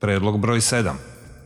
Predlog broj 7.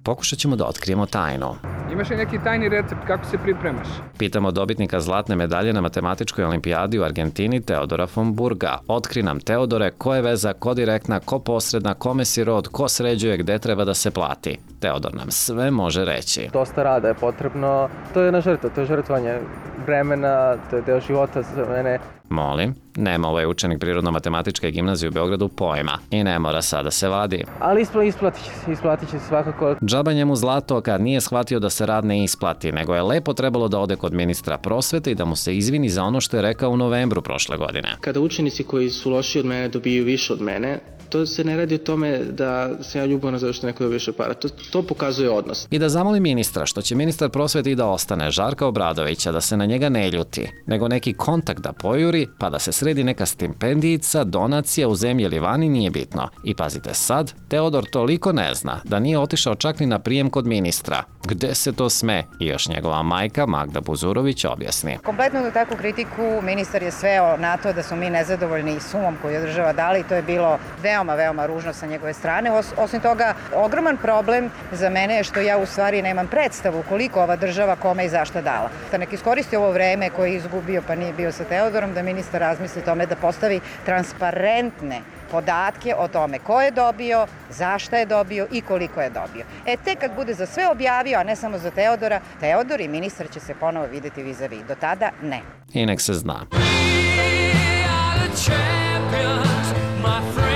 Pokušat ćemo da otkrijemo tajnu. Imaš li neki tajni recept kako se pripremaš? Pitamo dobitnika zlatne medalje na matematičkoj olimpijadi u Argentini Teodora von Burga. Otkri nam, Teodore, ko je veza, ko direktna, ko posredna, kome si rod, ko sređuje, gde treba da se plati. Teodor nam sve može reći. Dosta rada je potrebno. To je jedna žrtva, to je žrtvovanje vremena, to je deo života za mene. Molim, nema ovaj učenik Prirodno-matematičke gimnazije u Beogradu pojma i ne mora sada se vadi. Ali isplatit će se svakako. Džaba njemu zlato kad nije shvatio da se rad ne isplati, nego je lepo trebalo da ode kod ministra prosvete i da mu se izvini za ono što je rekao u novembru prošle godine. Kada učenici koji su loši od mene dobiju više od mene, to se ne radi o tome da sam ja ljubavan zato što neko dobije više para. To pokazuje odnos. I da zamoli ministra, što će ministar prosvete i da ostane, Žarka Obradovića, da se na njega ne ljuti, nego neki kontakt da pojuri, pa da se sredi neka stipendijica, donacija u zemlji ili vani, nije bitno. I pazite sad, Teodor toliko ne zna da nije otišao čak ni na prijem kod ministra. Gde se to sme? I još njegova majka Magda Buzurović objasni. Kompletno na takvu kritiku ministar je sveo na to da smo mi nezadovoljni sumom koju je država dala i to je bilo veoma ružno sa njegove strane. Osim toga, ogroman problem za mene je što ja u stvari nemam predstavu koliko ova država kome i zašta dala. Da nek iskoristi ovo vreme koje je izgubio pa nije bio sa Teodorom, da ministar razmisli tome da postavi transparentne podatke o tome ko je dobio, zašta je dobio i koliko je dobio. Tek kad bude za sve objavio, a ne samo za Teodora, Teodor i ministar će se ponovo videti vis-a-vis. Do tada ne. I nek se zna. We are the champions, my friend.